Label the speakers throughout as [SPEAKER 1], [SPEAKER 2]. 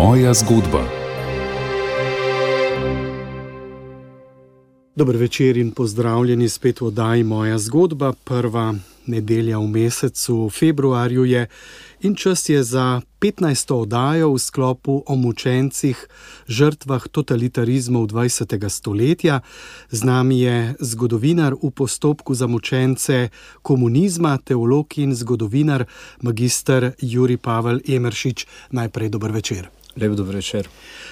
[SPEAKER 1] Moja zgodba.
[SPEAKER 2] Dober večer in pozdravljeni spet v oddaji Moja zgodba. Prva nedelja v mesecu februarju je in čas je za 15. oddajo v sklopu o mučencih, žrtvah totalitarizmov 20. stoletja. Z nami je zgodovinar v postopku za mučence komunizma, teolog in zgodovinar magister Jurij Pavel Emeršič. Najprej dober večer.
[SPEAKER 3] Lep dober večer.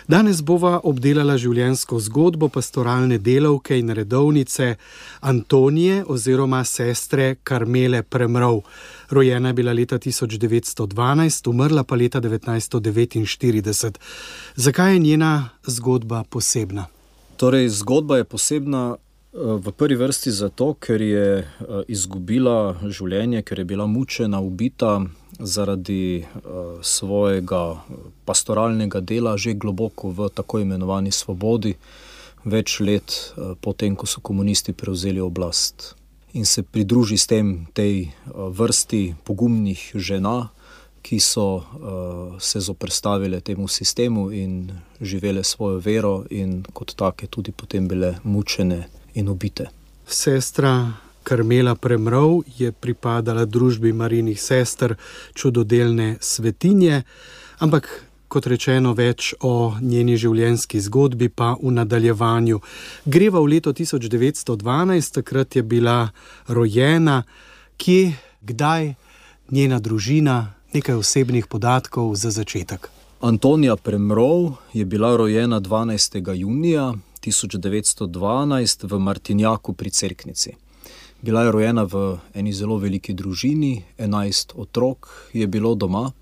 [SPEAKER 2] Danes bova obdelala življenjsko zgodbo pastoralne delavke in redovnice Antonije oziroma sestre Karmele Premrov. Rojena je bila leta 1912, umrla pa leta 1949. Zakaj je njena zgodba posebna?
[SPEAKER 3] Torej, zgodba je posebna v prvi vrsti zato, ker je izgubila življenje, ker je bila mučena, ubita zaradi svojega pastoralnega dela že globoko v tako imenovani svobodi, več let potem, ko so komunisti prevzeli oblast. In se pridruži s tem tej vrsti pogumnih žena, ki so se zoperstavile temu sistemu in živele svojo vero in kot take tudi potem bile mučene in ubite.
[SPEAKER 2] Sestra Karmela Premrov je pripadala družbi Marijinih sester, čudodelne svetinje, ampak kot rečeno več o njeni življenjski zgodbi pa v nadaljevanju. Greva v leto 1912, takrat je bila rojena. Kje, kdaj, njena družina, nekaj osebnih podatkov za začetek.
[SPEAKER 3] Antonija Premrov je bila rojena 12. junija 1912 v Martinjaku pri Cerknici. Bila je rojena v eni zelo veliki družini, 11 otrok je bilo doma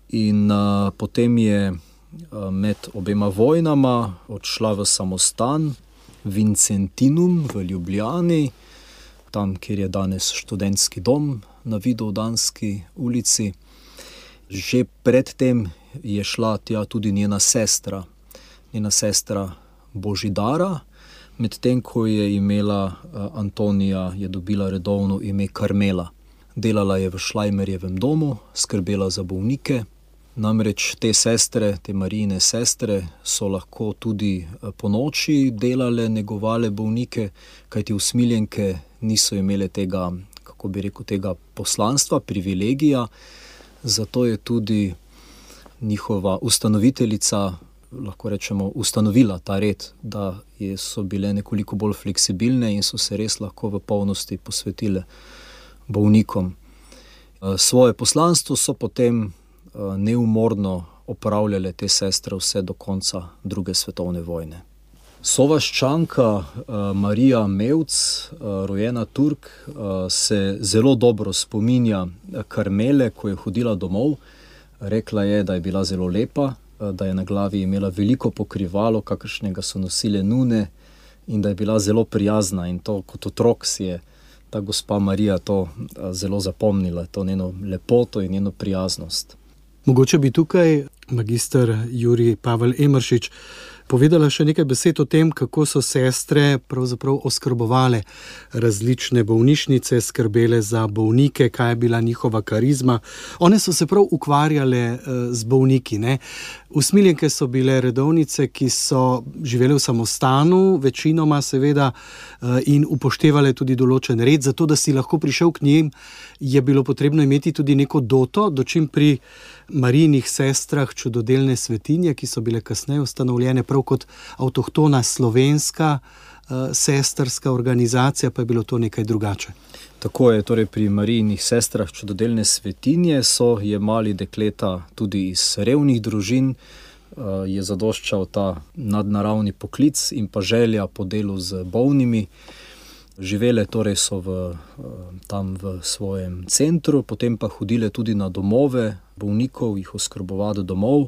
[SPEAKER 3] in potem je med obema vojnama odšla v samostan Vincentinum v Ljubljani, tam, kjer je danes študentski dom na Vidovdanski ulici. Že predtem je šla tja tudi njena sestra Božidara, medtem ko je imela Antonija, je dobila redovno ime Karmela. Delala je v Šlajmerjevem domu, skrbela za bolnike. Namreč te sestre, te Marijine sestre, so lahko tudi ponoči delale, negovale bolnike, kajti usmiljenke niso imele tega, kako bi rekel, tega poslanstva, privilegija. Zato je tudi njihova ustanoviteljica, lahko rečemo, ustanovila ta red, da so bile nekoliko bolj fleksibilne in so se res lahko v polnosti posvetile bolnikom. Svoje poslanstvo so potem neumorno opravljale te sestre vse do konca druge svetovne vojne. Sovaščanka Marija Mevc, rojena Turk, se zelo dobro spominja Karmele, ko je hodila domov. Rekla je, da je bila zelo lepa, da je na glavi imela veliko pokrivalo, kakršnega so nosile nune, in da je bila zelo prijazna, in to kot otrok si je ta gospa Marija to zelo zapomnila, to njeno lepoto in njeno prijaznost.
[SPEAKER 2] Mogoče bi tukaj magister Jurij Pavel Emeršič povedala še nekaj besed o tem, kako so sestre pravzaprav oskrbovale različne bolnišnice, skrbele za bolnike, kaj je bila njihova karizma. One so se prav ukvarjale z bolniki, ne? Usmiljenke so bile redovnice, ki so živele v samostanu, večinoma seveda, in upoštevale tudi določen red. Zato, da si lahko prišel k njim, je bilo potrebno imeti tudi neko doto, dočim pri Marijinih sestrah čudodelne svetinje, ki so bile kasneje ustanovljene prav kot avtohtona slovenska sestrska organizacija, pa je bilo to nekaj drugače.
[SPEAKER 3] Tako je, torej pri Marijinih sestrah čudodelne svetinje so jemali dekleta tudi iz revnih družin, je zadoščal ta nadnaravni poklic in pa želja po delu z bolnimi. Živele torej so tam v svojem centru, potem pa hodile tudi na domove bolnikov, jih oskrbovati domov,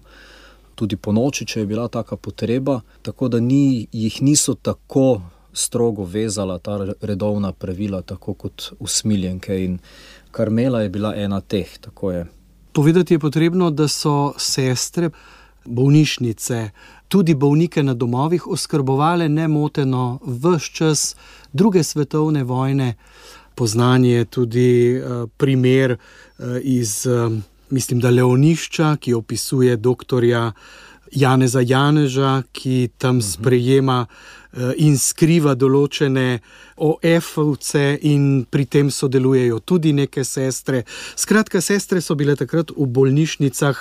[SPEAKER 3] tudi po noči, če je bila taka potreba, tako da jih niso tako strogo vezala ta redovna pravila, tako kot usmiljenke, in Karmela je bila ena teh, tako je.
[SPEAKER 2] Povedati je potrebno, da so sestre bolnišnice, tudi bolnike na domovih oskrbovale nemoteno ves čas druge svetovne vojne. Poznan je tudi primer iz mislim, da Leonišča, ki opisuje doktorja Janeza Janeža, ki tam sprejema in skriva določene OF-ovce in pri tem sodelujejo tudi neke sestre. Skratka, sestre so bile takrat v bolnišnicah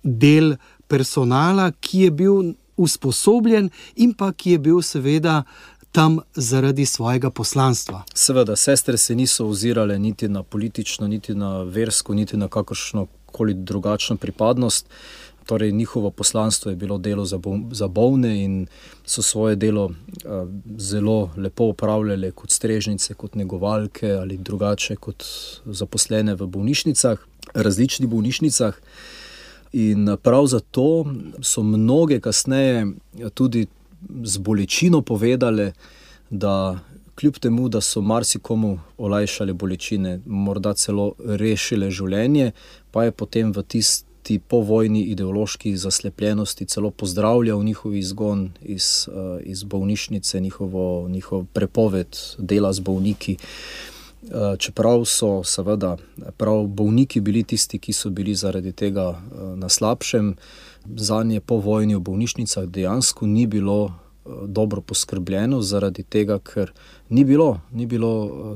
[SPEAKER 2] del personala, ki je bil usposobljen in pa ki je bil seveda tam zaradi svojega poslanstva.
[SPEAKER 3] Seveda, sestre se niso ozirale niti na politično, niti na versko, niti na kakršno koli drugačno pripadnost. Torej, njihovo poslanstvo je bilo delo za bolne in so svoje delo zelo lepo opravljale kot strežnice, kot negovalke ali drugače kot zaposlene v bolnišnicah, različnih bolnišnicah. In prav zato so mnoge kasneje tudi z bolečino povedale, da kljub temu, da so marsikomu olajšale bolečine, morda celo rešile življenje, pa je potem v tisti povojni ideološki zaslepljenosti celo pozdravljal njihov izgon iz bolnišnice, njihov prepoved dela z bolniki. Čeprav so seveda prav bolniki bili tisti, ki so bili zaradi tega na slabšem, zanje po vojni v bolnišnicah dejansko ni bilo dobro poskrbljeno, zaradi tega, ker ni bilo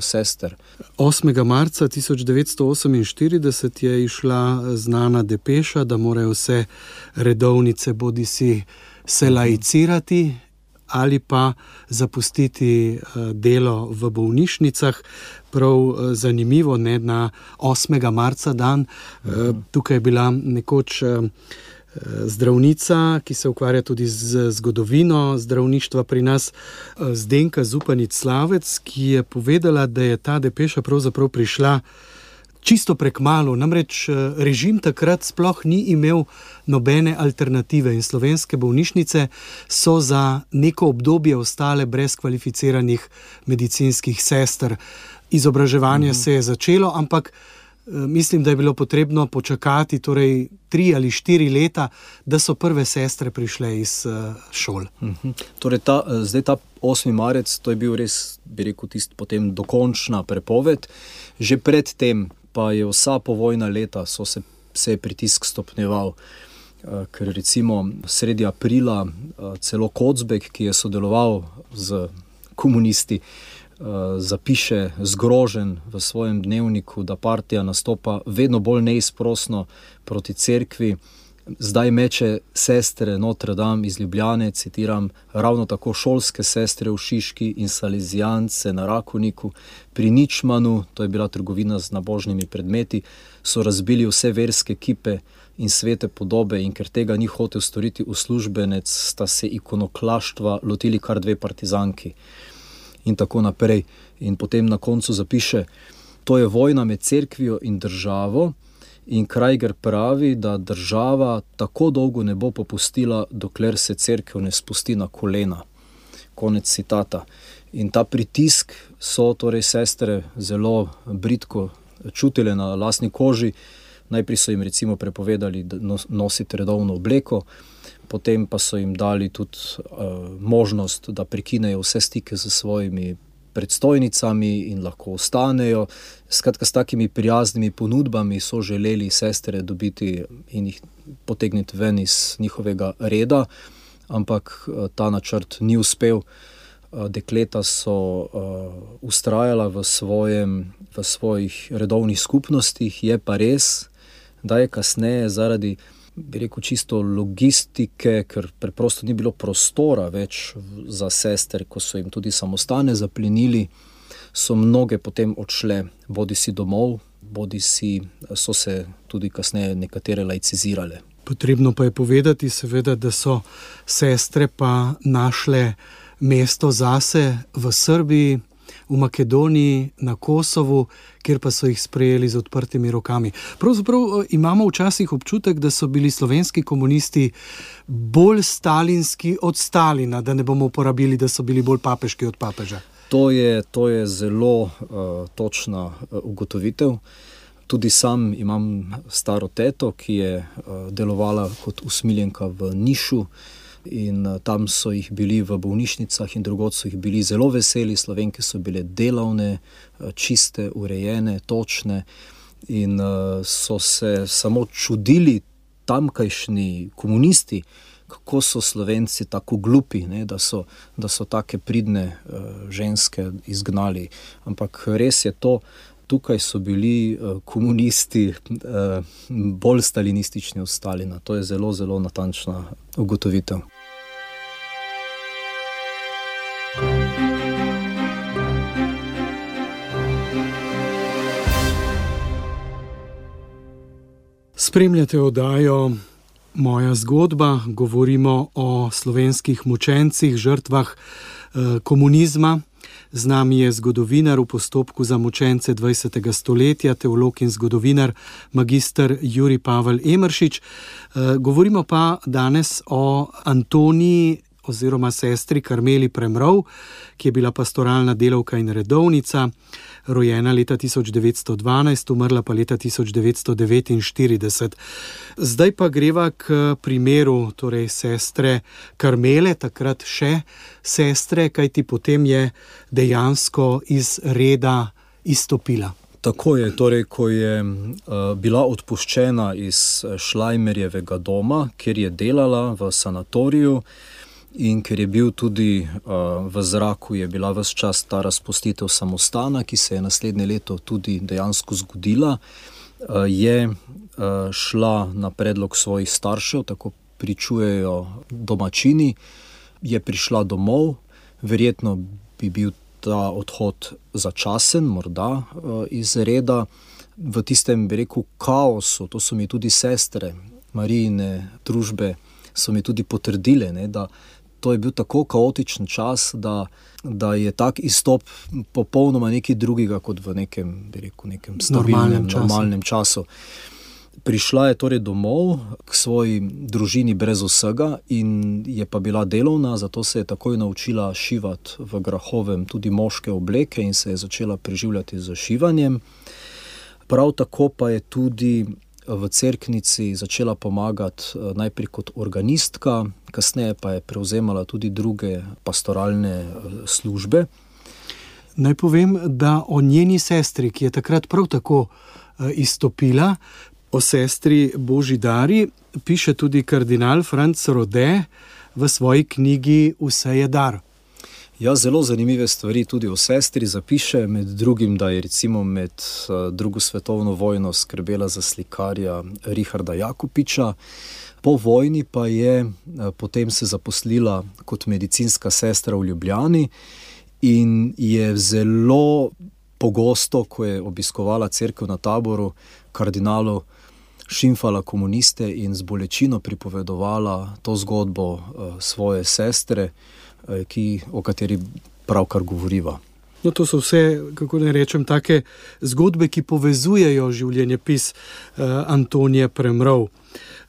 [SPEAKER 3] sester.
[SPEAKER 2] 8. marca 1948 je išla znana depeša, da morajo vse redovnice bodisi se laicirati ali pa zapustiti delo v bolnišnicah. Prav zanimivo, ne, na 8. marca dan, tukaj je bila nekoč zdravnica, ki se ukvarja tudi z zgodovino zdravništva pri nas, Zdenka Zupanič Slavec, ki je povedala, da je ta depeša pravzaprav prišla čisto prekmalu. Namreč režim takrat sploh ni imel nobene alternative in slovenske bolnišnice so za neko obdobje ostale brez kvalificiranih medicinskih sester. Izobraževanje se je začelo, ampak mislim, da je bilo potrebno počakati 3 ali 4 leta, da so prve sestre prišle iz šol.
[SPEAKER 3] Torej zdaj ta 8. marec, to je bil res, bi rekel, potem dokončna prepoved. Že pred tem pa je vsa povojna leta se je pritisk stopnjeval. Ker recimo sredi aprila celo Kocbek, ki je sodeloval z komunisti, zapiše zgrožen v svojem dnevniku, da partija nastopa vedno bolj neizprosno proti cerkvi. Zdaj meče sestre Notre Dame iz Ljubljane, citiram, ravno tako šolske sestre v Šiški in salezijance na Rakoniku. Pri Ničmanu, to je bila trgovina z nabožnimi predmeti, so razbili vse verske kipe in svete podobe in ker tega ni hotel storiti uslužbenec, sta se ikonoklaštva lotili kar 2 partizanki. In tako naprej. In potem na koncu zapiše, to je vojna med cerkvijo in državo in Krajger pravi, da država tako dolgo ne bo popustila, dokler se cerkev ne spusti na kolena. Konec citata. In ta pritisk so torej sestre zelo bridko čutile na lastni koži. Najprej so jim recimo prepovedali nositi redovno obleko, potem pa so jim dali tudi možnost, da prekinejo vse stike z svojimi predstojnicami in lahko ostanejo. Skratka, s takimi prijaznimi ponudbami so želeli sestre dobiti in jih potegniti ven iz njihovega reda, ampak ta načrt ni uspel. Dekleta so vztrajala v svojih redovnih skupnostih. Je pa res, da je kasneje zaradi, bi rekel, čisto logistike, ker preprosto ni bilo prostora več za sester, ko so jim tudi samostane zaplenili, so mnoge potem odšle bodisi domov, bodisi so se tudi kasneje nekatere laicizirale.
[SPEAKER 2] Potrebno pa je povedati seveda, da so sestre pa našle mesto zase v Srbiji, v Makedoniji, na Kosovu, kjer pa so jih sprejeli z odprtimi rokami. Pravzaprav imamo včasih občutek, da so bili slovenski komunisti bolj stalinski od Stalina, da ne bomo uporabili, da so bili bolj papeški od papeža.
[SPEAKER 3] To je zelo točna ugotovitev. Tudi sam imam staro teto, ki je delovala kot usmiljenka v Nišu, in tam so jih bili v bolnišnicah in drugod so jih bili zelo veseli. Slovenke so bile delavne, čiste, urejene, točne in so se samo čudili tamkajšnji komunisti, kako so Slovenci tako glupi, ne, da so take pridne ženske izgnali. Ampak res je to, tukaj so bili komunisti bolj stalinistični od Stalina. To je zelo, zelo natančna ugotovitev.
[SPEAKER 2] Spremljate oddajo Moja zgodba, govorimo o slovenskih mučencih, žrtvah komunizma. Z nami je zgodovinar v postopku za mučence 20. stoletja, teolog in zgodovinar magister Jurij Pavel Emeršič. Govorimo pa danes o Antoniji oziroma sestri Karmeli Premrov, ki je bila pastoralna delavka in redovnica, rojena leta 1912, umrla pa leta 1949. Zdaj pa greva k primeru torej sestre Karmele, takrat še sestre, kajti potem je dejansko iz reda izstopila.
[SPEAKER 3] Tako je, torej, ko je bila odpuščena iz Šlajmerjevega doma, kjer je delala v sanatoriju, in ker je bil tudi v zraku, je bila ves čas ta razpustitev samostana, ki se je naslednje leto tudi dejansko zgodila, je šla na predlog svojih staršev, tako pričujejo domačini, je prišla domov, verjetno bi bil ta odhod začasen, morda iz reda, v tistem, bi rekel, kaosu. To so mi tudi sestre Marijine družbe so mi tudi potrdile, ne, da to je bil tako kaotičen čas, da je tak izstop popolnoma nekaj drugega kot v nekem, bi rekel, nekem stabilnem, normalnem času. Prišla je torej domov k svoji družini brez vsega in je pa bila delovna, zato se je takoj naučila šivati v Grahovem tudi moške obleke in se je začela preživljati z šivanjem. Prav tako pa je tudi v cerknici začela pomagati najprej kot organistka, kasneje pa je prevzemala tudi druge pastoralne službe.
[SPEAKER 2] Naj povem, da o njeni sestri, ki je takrat prav tako izstopila, o sestri Božidari, piše tudi kardinal Franc Rode v svoji knjigi Vse je dar.
[SPEAKER 3] Ja, zelo zanimive stvari tudi o sestri zapiše, med drugim, da je recimo med drugo svetovno vojno skrbela za slikarja Richarda Jakupiča. Po vojni pa je potem se zaposlila kot medicinska sestra v Ljubljani in je zelo pogosto, ko je obiskovala cerkev na Taboru, kardinalu šimfala komuniste in z bolečino pripovedovala to zgodbo svoje sestre, o kateri pravkar govoriva.
[SPEAKER 2] No, to so vse, kako ne rečem, take zgodbe, ki povezujejo življenjepis Antonije Premrov.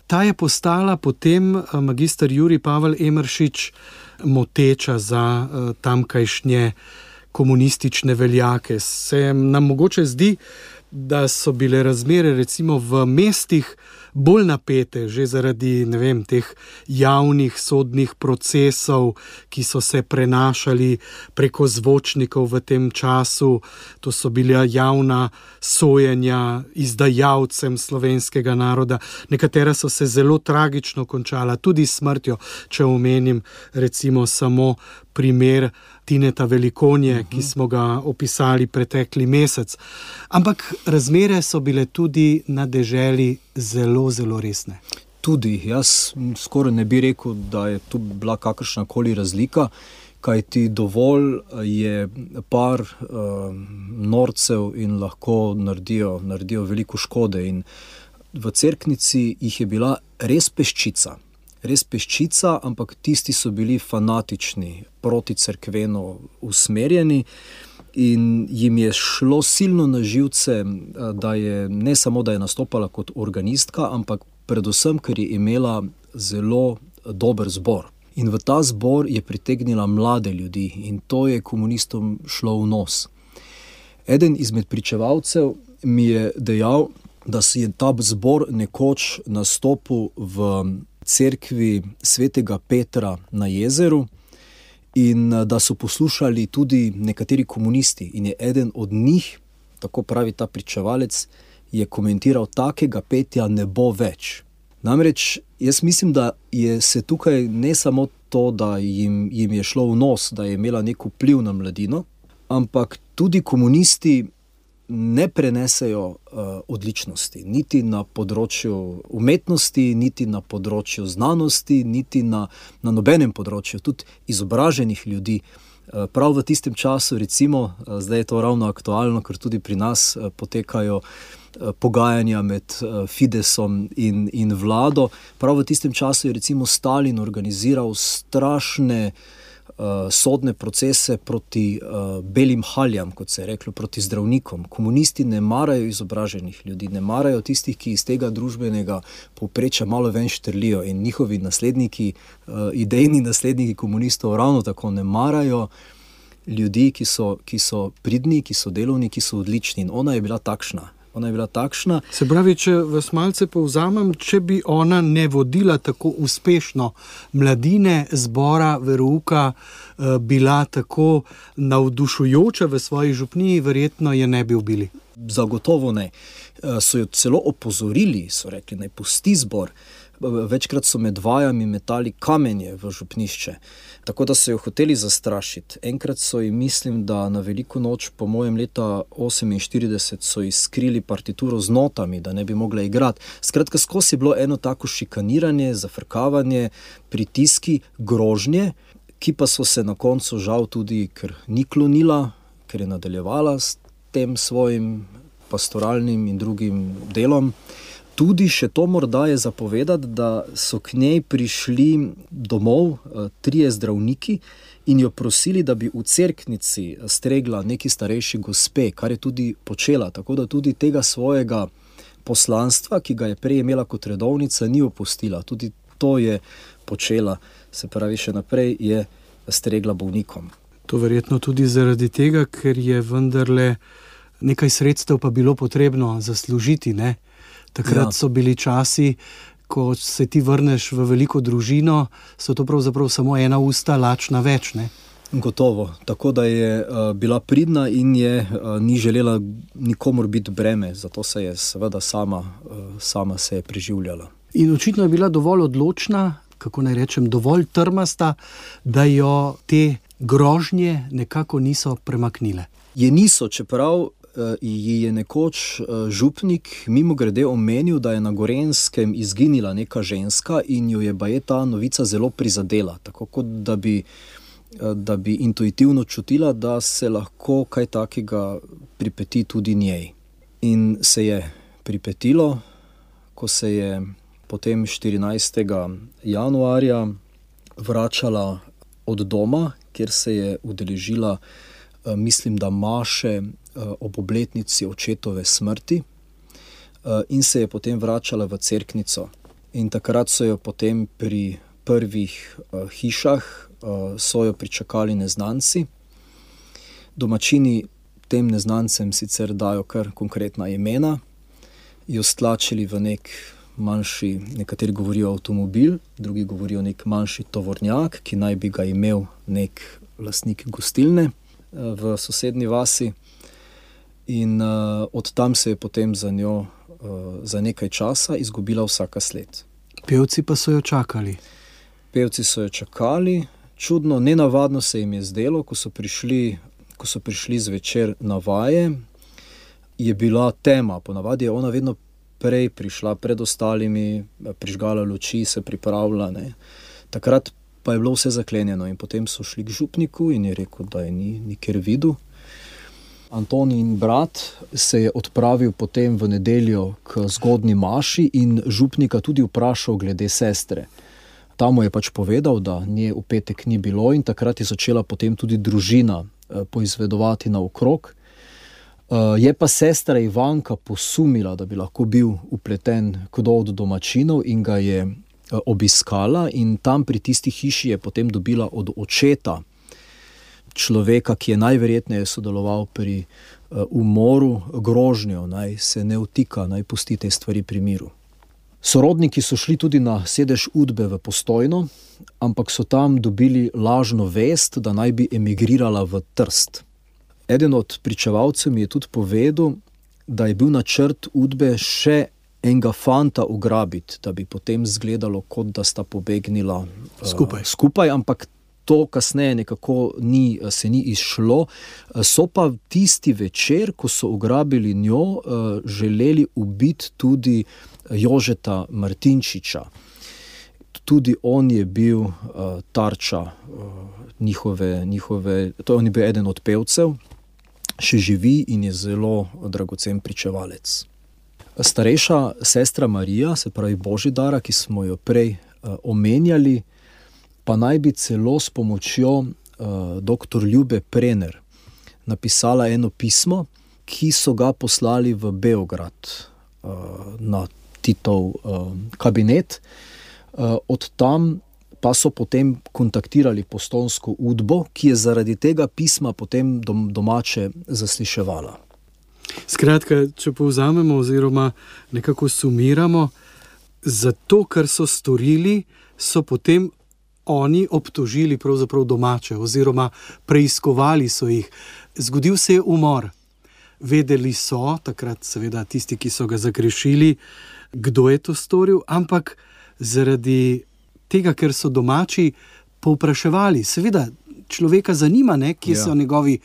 [SPEAKER 2] Ta je postala potem magister Jurij Pavel Emeršič moteča za tamkajšnje komunistične veljake. Se nam mogoče zdi, da so bile razmere recimo v mestih bolj napete, že zaradi, ne vem, teh javnih sodnih procesov, ki so se prenašali preko zvočnikov v tem času. To so bila javna sojenja izdajalcem slovenskega naroda. Nekatera so se zelo tragično končala, tudi smrtjo, če omenim recimo samo primer Tineta Velikonje, ki smo ga opisali pretekli mesec. Ampak razmere so bile tudi na deželi zelo, zelo resne.
[SPEAKER 3] Tudi, jaz skoraj ne bi rekel, da je tu bila kakršnakoli razlika, kajti dovolj je par norcev in lahko naredijo veliko škode. In v cerknici jih je bila res peščica. Res peščica, ampak tisti so bili fanatični, proti cerkveno usmerjeni in jim je šlo silno na živce, da je ne samo, da je nastopala kot organistka, ampak predvsem, ker je imela zelo dober zbor. In v ta zbor je pritegnila mlade ljudi in to je komunistom šlo v nos. Eden izmed pričevalcev mi je dejal, da si je ta zbor nekoč nastopil v cerkvi svetega Petra na jezeru in da so poslušali tudi nekateri komunisti in je eden od njih, tako pravi ta pričevalec, je komentiral, takega petja ne bo več. Namreč jaz mislim, da je se tukaj ne samo to, da jim je šlo v nos, da je imela nek vpliv na mladino, ampak tudi komunisti ne prenesejo odličnosti, niti na področju umetnosti, niti na področju znanosti, niti na nobenem področju, tudi izobraženih ljudi. Prav v tistem času, recimo, zdaj je to ravno aktualno, ker tudi pri nas potekajo pogajanja med Fidesom in vlado. Prav v tistem času je recimo Stalin organiziral strašne sodne procese proti belim haljam, kot se je reklo, proti zdravnikom. Komunisti ne marajo izobraženih ljudi, ne marajo tistih, ki iz tega družbenega povprečja malo ven štrlijo, in njihovi nasledniki, idejni nasledniki komunistov ravno tako ne marajo ljudi, ki so pridni, ki so delovni, ki so odlični, in ona je bila takšna.
[SPEAKER 2] Se pravi, če vas malce povzamem, če bi ona ne vodila tako uspešno mladine zbora verouka, bila tako navdušujoča v svoji župniji, verjetno je ne bi ubili.
[SPEAKER 3] Zagotovo ne. So jo celo opozorili, so rekli, naj pusti zbor. Večkrat so med vajami metali kamenje v župnišče, tako da so jo hoteli zastrašiti. Enkrat so ji, mislim, da na veliko noč, po mojem leta 1948, so ji skrili partituro z notami, da ne bi mogla igrati. Skratka, skozi je bilo eno tako šikaniranje, zafrkavanje, pritiski, grožnje, ki pa so se na koncu žal tudi, ker ni klonila, ker je nadaljevala s tem svojim pastoralnim in drugim delom. Tudi še to morda je zapovedati, da so k njej prišli domov 3 zdravniki in jo prosili, da bi v cerknici stregla neki starejši gospe, kar je tudi počela. Tako da tudi tega svojega poslanstva, ki ga je prej imela kot redovnica, ni opustila. Tudi to je počela, se pravi, še naprej je stregla bolnikom.
[SPEAKER 2] To verjetno tudi zaradi tega, ker je vendarle nekaj sredstev pa bilo potrebno zaslužiti, ne? Takrat so bili časi, ko se ti vrneš v veliko družino, so to pravzaprav samo ena usta lačna več, ne?
[SPEAKER 3] Gotovo. Tako da je bila pridna in je ni želela nikomur biti breme, zato se je seveda sama se je preživljala.
[SPEAKER 2] In očitno je bila dovolj odločna, kako naj rečem, dovolj trmasta, da jo te grožnje nekako niso premaknile.
[SPEAKER 3] Je niso, čeprav ji je nekoč župnik mimogrede omenil, da je na Gorenjskem izginila neka ženska in jo je baje ta novica zelo prizadela, tako kot da bi intuitivno čutila, da se lahko kaj takega pripeti tudi njej. In se je pripetilo, ko se je potem 14. januarja vračala od doma, kjer se je udeležila, mislim, da maše ob obletnici očetove smrti, in se je potem vračala v cerknico. In takrat so jo potem pri prvih hišah so jo pričakali neznanci. Domačini tem neznancem sicer dajo kar konkretna imena, jo stlačili v nek manjši, nekateri govorijo avtomobil, drugi govorijo nek manjši tovornjak, ki naj bi ga imel nek lastnik gostilne v sosednji vasi. In od tam se je potem za njo za nekaj časa izgubila vsaka sled.
[SPEAKER 2] Pevci pa so jo čakali.
[SPEAKER 3] Pevci so jo čakali. Čudno, nenavadno se jim je zdelo, ko so prišli zvečer na vaje, je bila tema. Ponavadi je ona vedno prej prišla, pred ostalimi, prižgala luči, se pripravila, ne. Takrat pa je bilo vse zaklenjeno in potem so šli k župniku in je rekel, da je ni nikjer videl. Antonin brat se je odpravil potem v nedeljo k zgodnji maši in župnika tudi vprašal glede sestre. Ta mu je pač povedal, da nje v petek ni bilo, in takrat je začela potem tudi družina poizvedovati naokrog. Je pa sestra Ivanka posumila, da bi lahko bil vpleten kdo od domačinov, in ga je obiskala, in tam pri tisti hiši je potem dobila od očeta človeka, ki je najverjetneje sodeloval pri umoru, grožnjo, naj se ne vtika, naj pusti te stvari pri miru. Sorodniki so šli tudi na sedež Udbe v Postojno, ampak so tam dobili lažno vest, da naj bi emigrirala v Trst. Eden od pričevalcev mi je tudi povedal, da je bil načrt Udbe še enega fanta ugrabiti, da bi potem izgledalo, kot da sta pobegnila skupaj, ampak to kasneje nekako se ni izšlo. So pa tisti večer, ko so ugrabili njo, želeli ubiti tudi Jožeta Martinčiča. Tudi on je bil tarča njihove, to on je bil eden od pevcev, še živi in je zelo dragocen pričevalec. Starejša sestra Marija, se pravi Božidara, ki smo jo prej omenjali, pa naj bi celo s pomočjo dr. Ljube Prener napisala eno pismo, ki so ga poslali v Beograd na Titov kabinet. Od tam pa so potem kontaktirali Postojnsko Udbo, ki je zaradi tega pisma potem domače zasliševala.
[SPEAKER 2] Skratka, če povzamemo oziroma nekako sumiramo, zato, kar so storili, so potem oni obtožili pravzaprav domače oziroma preiskovali so jih. Zgodil se je umor. Vedeli so, takrat seveda tisti, ki so ga zagrešili, kdo je to storil, ampak zaradi tega, ker so domači povpraševali. Seveda, človeka zanima, kje so njegovi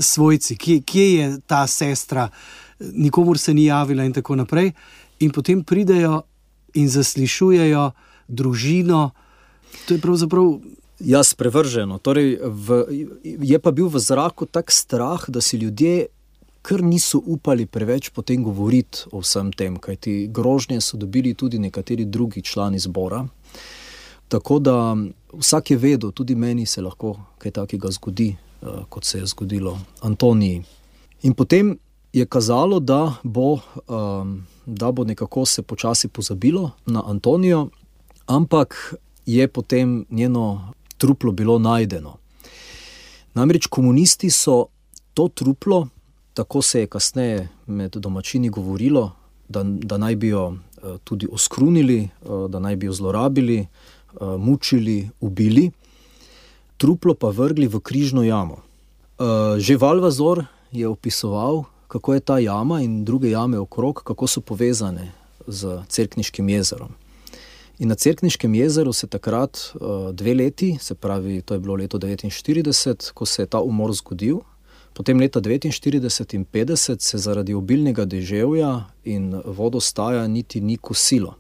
[SPEAKER 2] svojci, kje je ta sestra, nikomur se ni javila in tako naprej. In potem pridejo in zaslišujejo družino. To je pravzaprav...
[SPEAKER 3] Ja, sprevrženo. Torej, je pa bil v zraku tak strah, da si ljudje kar niso upali preveč potem govoriti o vsem tem, kajti grožnje so dobili tudi nekateri drugi člani zbora. Tako da vsak je vedel, tudi meni se lahko kaj takega zgodi, kot se je zgodilo Antoniji. In potem je kazalo, da bo nekako se počasi pozabilo na Antonijo, ampak je potem njeno truplo bilo najdeno. Namreč komunisti so to truplo, tako se je kasneje med domačini govorilo, da naj bi jo tudi oskrunili, da naj bi jo zlorabili, mučili, ubili, truplo pa vrgli v križno jamo. Že Valvazor je opisoval, kako je ta jama in druge jame okrog, kako so povezane z Cerkniškim jezerom. In na Cerkniškem jezeru se takrat 2 leti, se pravi, to je bilo leto 1949, ko se je ta umor zgodil, potem leta 1949 in 50 se zaradi obilnega deževja in vodostaja niti ni kosilo.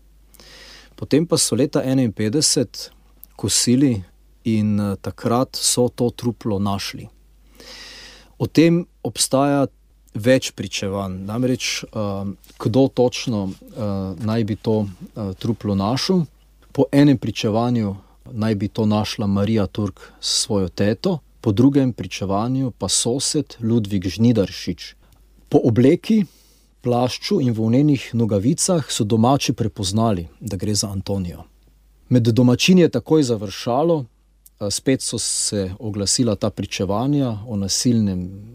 [SPEAKER 3] Potem pa so leta 1951 kosili in takrat so to truplo našli. O tem obstaja več pričevanj, namreč kdo točno naj bi to truplo našel. Po enem pričevanju naj bi to našla Marija Turk s svojo teto, po drugem pričevanju pa sosed Ludvik Žnidaršič. Po obleki, plašču in volnenih nogavicah so domači prepoznali, da gre za Antonijo. Med domačini je takoj završalo, spet so se oglasila ta pričevanja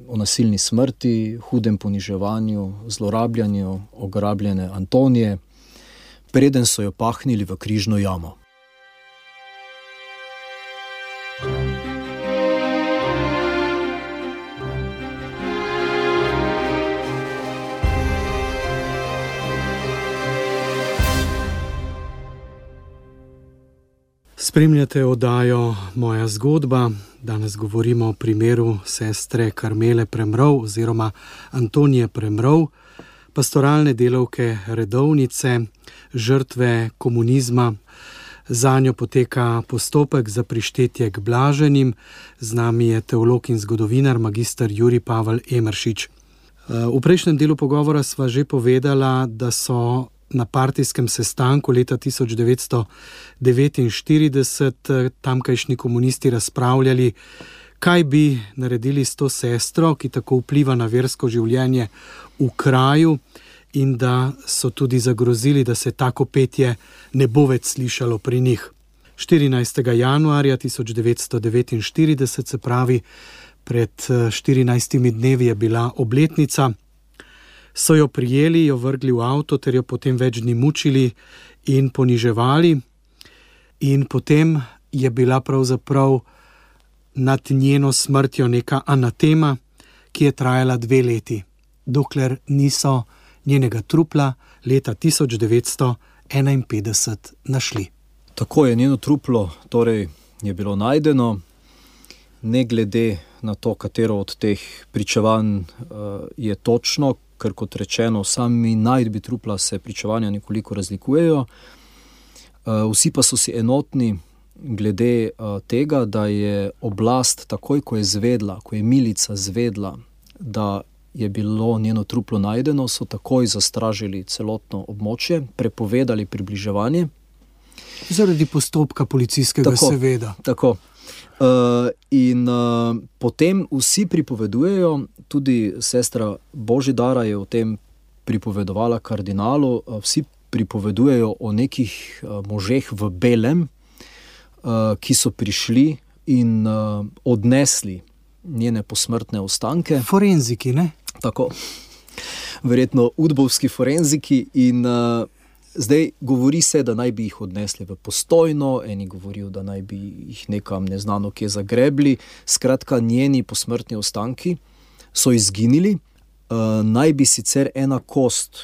[SPEAKER 3] o nasilni smrti, hudem poniževanju, zlorabljanju ograbljene Antonije, preden so jo pahnili v križno jamo.
[SPEAKER 2] Spremljate oddajo Moja zgodba. Danes govorimo o primeru sestre Karmele Premrov oziroma Antonije Premrov, pastoralne delavke redovnice, žrtve komunizma. Zanjo poteka postopek za prištetje k blaženim. Z nami je teolog in zgodovinar magister Jurij Pavel Emeršič. V prejšnjem delu pogovora sva že povedala, da so na partijskem sestanku leta 1949 tamkajšnji komunisti razpravljali, kaj bi naredili s to sestro, ki tako vpliva na versko življenje v kraju, in da so tudi zagrozili, da se tako petje ne bo več slišalo pri njih. 14. januarja 1949, se pravi pred 14 dnevi, je bila obletnica. So jo prijeli, jo vrgli v avto ter jo potem več dni mučili in poniževali. In potem je bila pravzaprav nad njeno smrtjo neka anatema, ki je trajala 2 leti. dokler niso njenega trupla leta 1951 našli.
[SPEAKER 3] Tako je njeno truplo torej je bilo najdeno, ne glede na to, katero od teh pričevanj je točno, ker kot rečeno, sami najdbi trupla se pričevanja nekoliko razlikujejo. Vsi pa so si enotni glede tega, da je oblast takoj, ko je milica zvedla, da je bilo njeno truplo najdeno, so takoj zastražili celotno območje, prepovedali približevanje.
[SPEAKER 2] Zaradi postopka policijskega, seveda.
[SPEAKER 3] Tako. In potem vsi pripovedujejo, tudi sestra Božidara je o tem pripovedovala kardinalu, vsi pripovedujejo o nekih možeh v belem, ki so prišli in odnesli njene posmrtne ostanke.
[SPEAKER 2] Forenziki, ne?
[SPEAKER 3] Tako. Verjetno udbovski forenziki in zdaj govori se, da naj bi jih odnesli v Postojno, eni govorijo, da naj bi jih nekam neznano kje zagrebli. Skratka, njeni posmrtni ostanki so izginili. Naj bi sicer ena kost,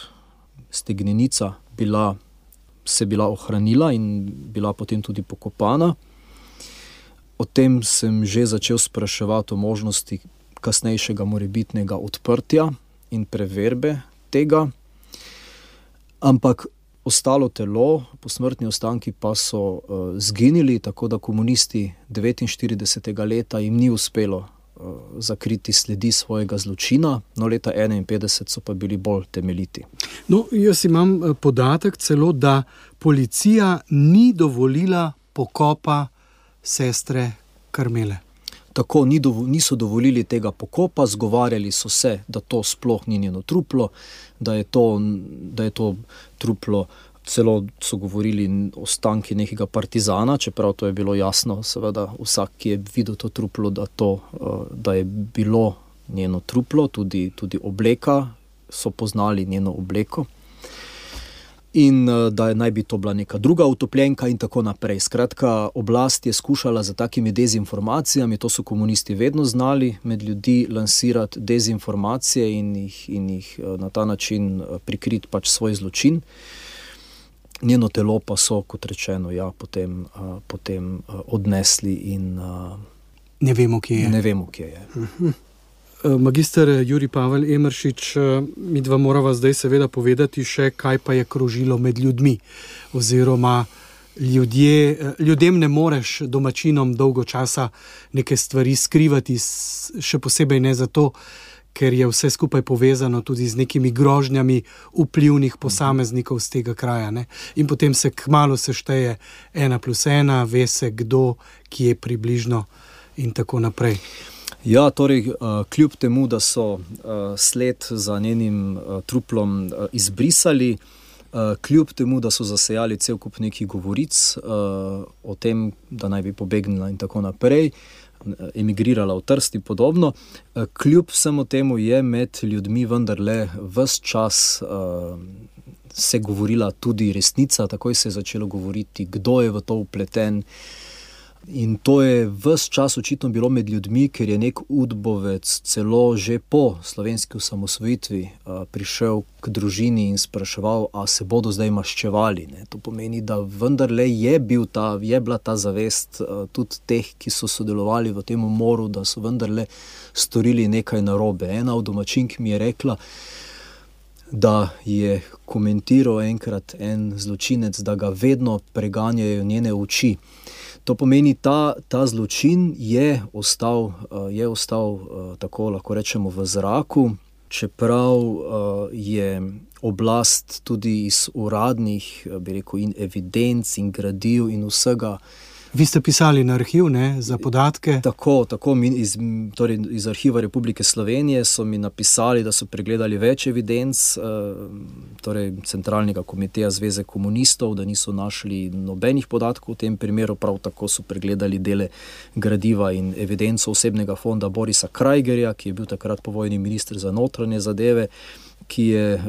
[SPEAKER 3] stegnenica, se bila ohranila in bila potem tudi pokopana. O tem sem že začel spraševati o možnosti kasnejšega morebitnega odprtja in preverbe tega. Ampak ostalo telo, posmrtni ostanki pa so zginili, tako da komunisti 49. leta jim ni uspelo zakriti sledi svojega zločina, no leta 51 so pa bili bolj temeljiti.
[SPEAKER 2] No, jaz imam podatek celo, da policija ni dovolila pokopa sestre Karmele.
[SPEAKER 3] Tako, niso dovolili tega pokopa, zgovarjali so se, da to sploh ni njeno truplo, da je to truplo, celo so govorili ostanki nekega partizana, čeprav to je bilo jasno, seveda vsak, ki je videl to truplo, da je bilo njeno truplo, tudi obleka, so poznali njeno obleko. In da naj bi to bila neka druga utopljenka in tako naprej. Skratka, oblast je skušala za takimi dezinformacijami, to so komunisti vedno znali, med ljudi lansirati dezinformacije in jih na ta način prikriti pač svoj zločin. Njeno telo pa so, kot rečeno, potem odnesli in
[SPEAKER 2] ne vemo, kje je.
[SPEAKER 3] Ne vemo, kje je.
[SPEAKER 2] Magister Jurij Pavel Emeršič, midva morava zdaj seveda povedati še, kaj pa je krožilo med ljudmi, oziroma ljudem ne moreš, domačinom, dolgo časa neke stvari skrivati, še posebej ne zato, ker je vse skupaj povezano tudi z nekimi grožnjami vplivnih posameznikov z tega kraja, ne? In potem se kmalu sešteje 1+1, ve se kdo, kje približno in tako naprej.
[SPEAKER 3] Ja, torej, kljub temu, da so sled za njenim truplom izbrisali, kljub temu, da so zasejali cel kup nekih govoric o tem, da naj bi pobegnila in tako naprej, emigrirala v Trst in podobno, kljub vsemu temu je med ljudmi vendarle ves čas se govorila tudi resnica, takoj se je začelo govoriti, kdo je v to vpleten. In to je ves čas očitno bilo med ljudmi, ker je nek udbovec celo že po slovenski osamosvojitvi prišel k družini in spraševal, a se bodo zdaj maščevali. Ne? To pomeni, da vendarle je bila ta zavest tudi teh, ki so sodelovali v tem umoru, da so vendarle storili nekaj narobe. Ena od domačink mi je rekla, da je komentiral enkrat en zločinec, da ga vedno preganjajo njene oči. To pomeni, ta zločin je ostal tako lahko rečemo v zraku, čeprav je oblast tudi iz uradnih, bi rekel, in evidenc in gradiv in vsega.
[SPEAKER 2] Vi ste pisali na arhiv, ne, za podatke?
[SPEAKER 3] Tako, iz Arhiva Republike Slovenije so mi napisali, da so pregledali več evidenc, torej Centralnega komiteja Zveze komunistov, da niso našli nobenih podatkov v tem primeru, prav tako so pregledali dele gradiva in evidenco osebnega fonda Borisa Krajgerja, ki je bil takrat povojni minister za notranje zadeve, ki je...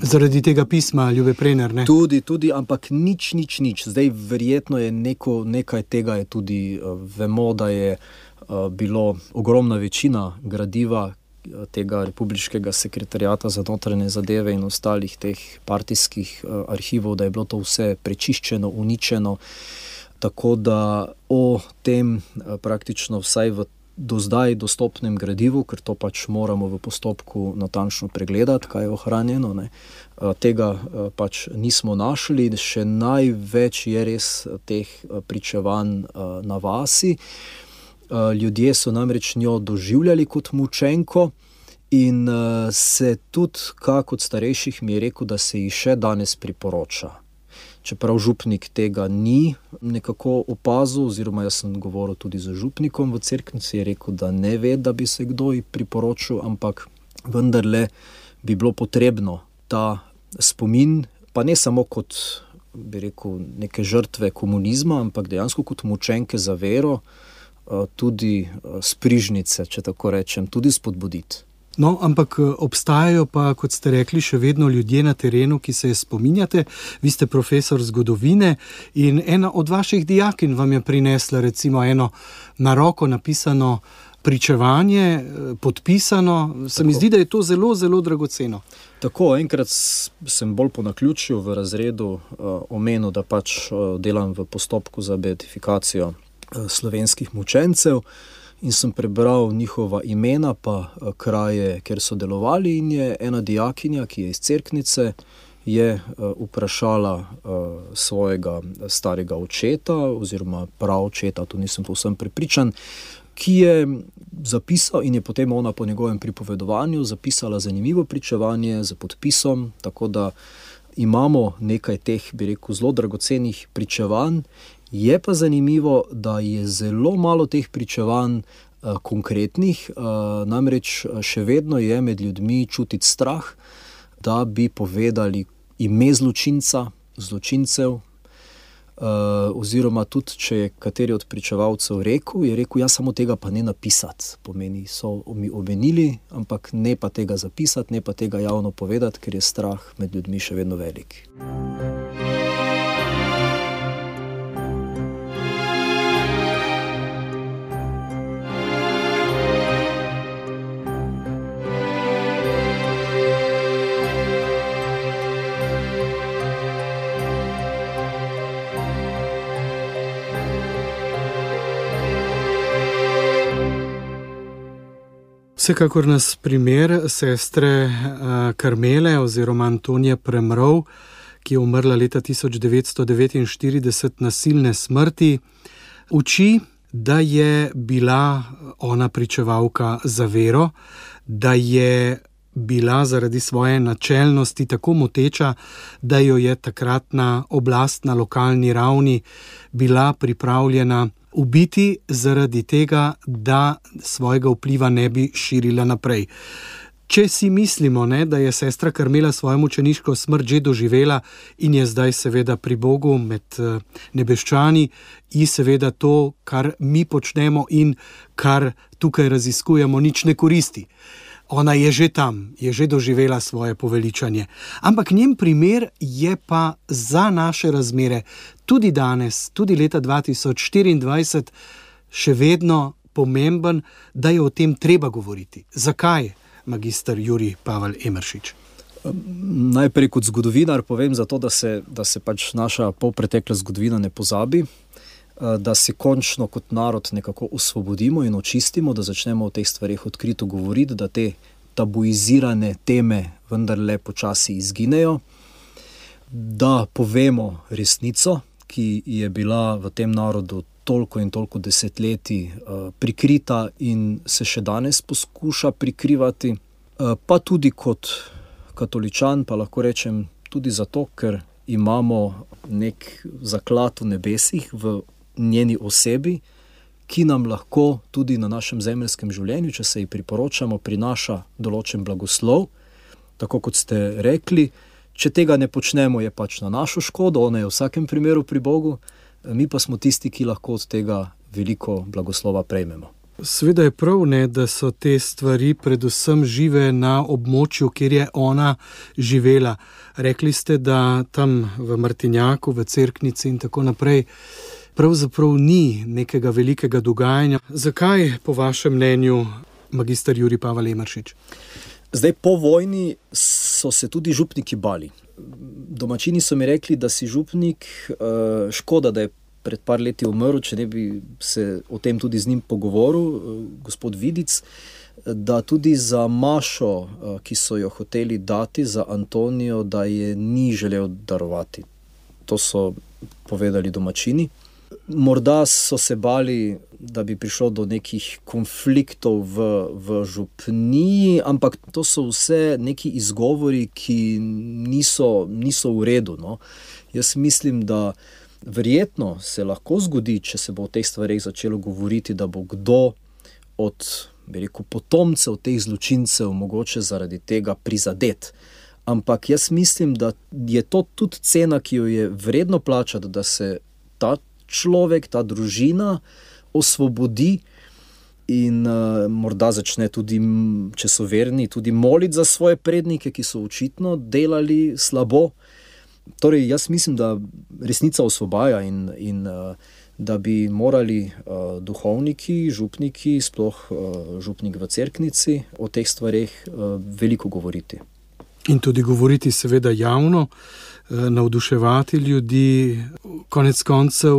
[SPEAKER 2] Zaradi tega pisma Ljube Prener, ne?
[SPEAKER 3] Tudi, ampak nič. Zdaj verjetno je nekaj tega je tudi, vemo, da je bilo ogromna večina gradiva, tega republiškega sekretariata za notranje zadeve in ostalih teh partijskih arhivov, da je bilo to vse prečiščeno, uničeno. Tako da o tem praktično vsaj v do zdaj dostopnem gradivu, ker to pač moramo v postopku natančno pregledati, kaj je ohranjeno, ne. Tega pač nismo našli, še največ je res teh pričevanj na vasi. Ljudje so namreč njo doživljali kot mučenko in se tudi, kak od starejših mi je rekel, da se ji še danes priporoča. Čeprav župnik tega ni nekako opazil, oziroma jaz sem govoril tudi z župnikom v Cerknici, je rekel, da ne ve, da bi se kdo ji priporočil, ampak vendarle bi bilo potrebno ta spomin, pa ne samo kot, bi rekel, neke žrtve komunizma, ampak dejansko kot mučenke za vero, tudi sprižnice, če tako rečem, tudi spodbuditi.
[SPEAKER 2] No, ampak obstajajo pa, kot ste rekli, še vedno ljudje na terenu, ki se je spominjate. Vi ste profesor zgodovine in ena od vaših dijakinj vam je prinesla recimo eno na roko napisano pričevanje, podpisano. Se mi zdi, da je to zelo, zelo dragoceno.
[SPEAKER 3] Tako, enkrat sem bolj po naključju v razredu omenil, da pač delam v postopku za beatifikacijo slovenskih mučencev. In sem prebral njihova imena pa kraje, kjer so delovali, in je ena dijakinja, ki je iz Cerknice, je vprašala svojega starega očeta oziroma praočeta, tu nisem povsem prepričan, ki je zapisal in je potem ona po njegovem pripovedovanju zapisala zanimivo pričevanje z podpisom, tako da imamo nekaj teh, bi rekel, zelo dragocenih pričevanj. Je pa zanimivo, da je zelo malo teh pričevanj konkretnih, namreč še vedno je med ljudmi čutiti strah, da bi povedali ime zločincev, oziroma tudi, če je kateri od pričevalcev je rekel, ja, samo tega pa ne napisati. Pomeni, so mi omenili, ampak ne pa tega zapisati, ne pa tega javno povedati, ker je strah med ljudmi še vedno velik.
[SPEAKER 2] Vsekakor nas primer sestre Karmele oziroma Antonije Premrov, ki je umrla leta 1949 nasilne smrti, uči, da je bila ona pričevalka za vero, da je bila zaradi svoje načelnosti tako moteča, da jo je takratna oblast na lokalni ravni bila pripravljena ubiti zaradi tega, da svojega vpliva ne bi širila naprej. Če si mislimo, da je sestra Karmela svojo mučeniško smrt že doživela in je zdaj seveda pri Bogu med nebeščani, in seveda to, kar mi počnemo in kar tukaj raziskujemo, nič ne koristi. Ona je že tam, je že doživela svoje poveličanje. Ampak njen primer je pa za naše razmere tudi danes, tudi leta 2024, še vedno pomemben, da je o tem treba govoriti. Zakaj, magister Jurij Pavel Emeršič?
[SPEAKER 3] Najprej kot zgodovinar povem zato, da se pač naša polpretekla zgodovina ne pozabi, da se končno kot narod nekako osvobodimo in očistimo, da začnemo o teh stvarih odkrito govoriti, da te tabuizirane teme vendarle počasi izginejo, da povemo resnico, ki je bila v tem narodu toliko in toliko desetletij prikrita in se še danes poskuša prikrivati, pa tudi kot katoličan, pa lahko rečem tudi zato, ker imamo nek zaklad v nebesih v njeni osebi, ki nam lahko tudi na našem zemeljskem življenju, če se ji priporočamo, prinaša določen blagoslov. Tako kot ste rekli, če tega ne počnemo, je pač na našo škodo, ona je v vsakem primeru pri Bogu, mi pa smo tisti, ki lahko od tega veliko blagoslova prejmemo.
[SPEAKER 2] Seveda je prav, da so te stvari predvsem žive na območju, kjer je ona živela. Rekli ste, da tam v Martinjaku, v Cerknici in tako naprej pravzaprav ni nekega velikega dogajanja. Zakaj, po vašem mnenju, magister Jurij Pavel Emeršič?
[SPEAKER 3] Zdaj, po vojni so se tudi župniki bali. Domačini so mi rekli, da si župnik, škoda, da je pred par leti umrl, če ne bi se o tem tudi z njim pogovoril, gospod Vidic, da tudi za mašo, ki so jo hoteli dati za Antonijo, da je ni želel darovati. To so povedali domačini. Morda so se bali, da bi prišlo do nekih konfliktov v župniji, ampak to so vse neki izgovori, ki niso v redu. No. Jaz mislim, da verjetno se lahko zgodi, če se bo o teh stvareh začelo govoriti, da bo kdo od potomcev teh zločincev mogoče zaradi tega prizadet. Ampak jaz mislim, da je to tudi cena, ki jo je vredno plačati, da se ta človek, ta družina osvobodi in morda začne tudi, če so verni, tudi moliti za svoje prednike, ki so očitno delali slabo. Torej, jaz mislim, da resnica osvobaja in da bi morali duhovniki, župniki, sploh župnik v Cerknici, o teh stvareh veliko govoriti.
[SPEAKER 2] In tudi govoriti seveda javno, navduševati ljudi. Konec koncev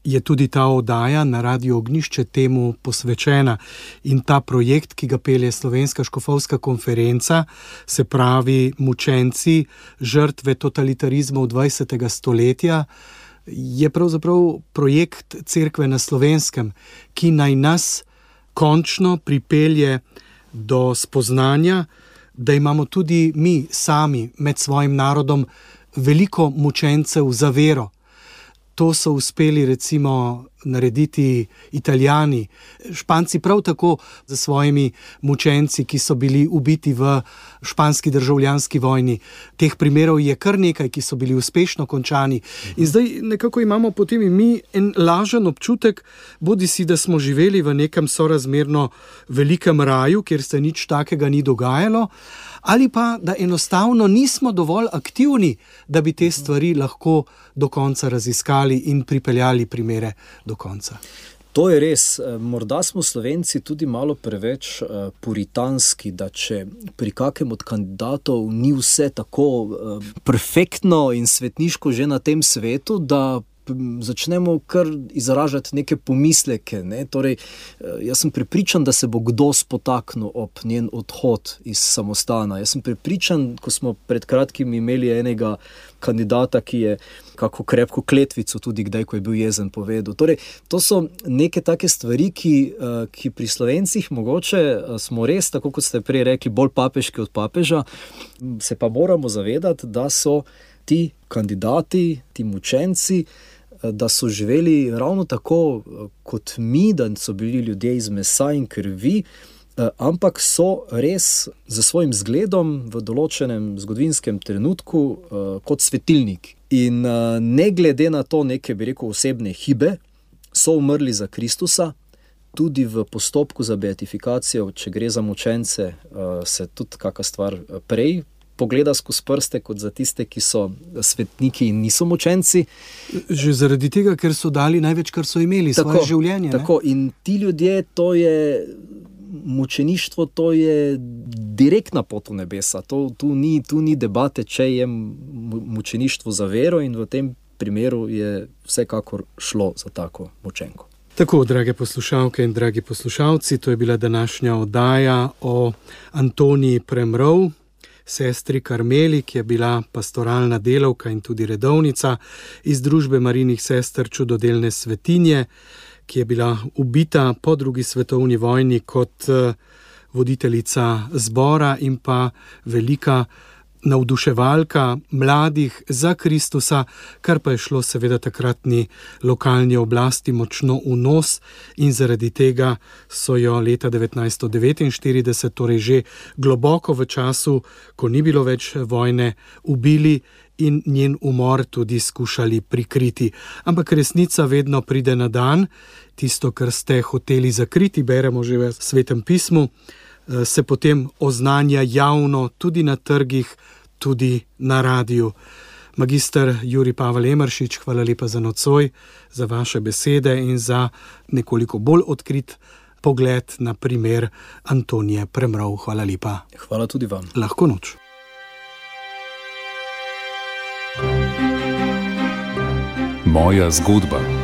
[SPEAKER 2] je tudi ta oddaja na Radiu Ognjišče temu posvečena in ta projekt, ki ga pelje Slovenska škofovska konferenca, se pravi mučenci, žrtve totalitarizmov 20. stoletja, je pravzaprav projekt Cerkve na Slovenskem, ki naj nas končno pripelje do spoznanja, da imamo tudi mi sami med svojim narodom veliko mučencev za vero. To so uspeli recimo narediti Italijani, Španci prav tako za svojimi mučenci, ki so bili ubiti v španski državljanski vojni. Teh primerov je kar nekaj, ki so bili uspešno končani. In zdaj nekako imamo potem in mi en lažen občutek, bodisi da smo živeli v nekem sorazmerno velikem raju, kjer se nič takega ni dogajalo, ali pa da enostavno nismo dovolj aktivni, da bi te stvari lahko do konca raziskali in pripeljali primere do konca.
[SPEAKER 3] To je res. Morda smo Slovenci tudi malo preveč puritanski, da če pri kakem od kandidatov ni vse tako perfektno in svetniško že na tem svetu, da začnemo kar izražati neke pomisleke. Ne? Torej, jaz sem prepričan, da se bo kdo spotaknil ob njen odhod iz samostana. Jaz sem prepričan, ko smo pred kratkim imeli enega kandidata, ki je kako krepko kletvico tudi kdaj, ko je bil jezen, povedal. Torej, to so neke take stvari, ki pri Slovencih mogoče smo res, tako kot ste prej rekli, bolj papeški od papeža, se pa moramo zavedati, da so ti kandidati, ti mučenci, da so živeli ravno tako kot mi, da so bili ljudje iz mesa in krvi, ampak so res za svojim zgledom v določenem zgodovinskem trenutku kot svetilnik. In ne glede na to neke, bi rekel, osebne hibe, so umrli za Kristusa. Tudi v postopku za beatifikacijo, če gre za mučence, se tudi kakšna stvar prej pogleda skozi prste, kot za tiste, ki so svetniki in niso mučenci.
[SPEAKER 2] Že zaradi tega, ker so dali največ, kar so imeli, svoje življenje.
[SPEAKER 3] Tako, in ti ljudje, to je mučeništvo, to je direktna pot v nebesa. Tu ni debate, če je mučeništvo za vero, in v tem primeru je vsekakor šlo za tako mučenko.
[SPEAKER 2] Tako, drage poslušalke in dragi poslušalci, to je bila današnja oddaja o Antoniji Premrov, sestri Karmeli, ki je bila pastoralna delavka in tudi redovnica iz družbe Marijinih sester Čudodelne svetinje, ki je bila ubita po drugi svetovni vojni kot voditeljica zbora in pa velika navduševalka mladih za Kristusa, kar pa je šlo seveda takratni lokalni oblasti močno v nos in zaradi tega so jo leta 1949, torej že globoko v času, ko ni bilo več vojne, ubili in njen umor tudi skušali prikriti. Ampak resnica vedno pride na dan, tisto, kar ste hoteli zakriti, beremo že v Svetem pismu, se potem oznanja javno tudi na trgih, tudi na radiju. Magister Jurij Pavel Emeršič, hvala lepa za nocoj, za vaše besede in za nekoliko bolj odkrit pogled na primer Antonije Premrov. Hvala lepa.
[SPEAKER 3] Hvala tudi vam.
[SPEAKER 2] Lahko noč.
[SPEAKER 1] Moja zgodba.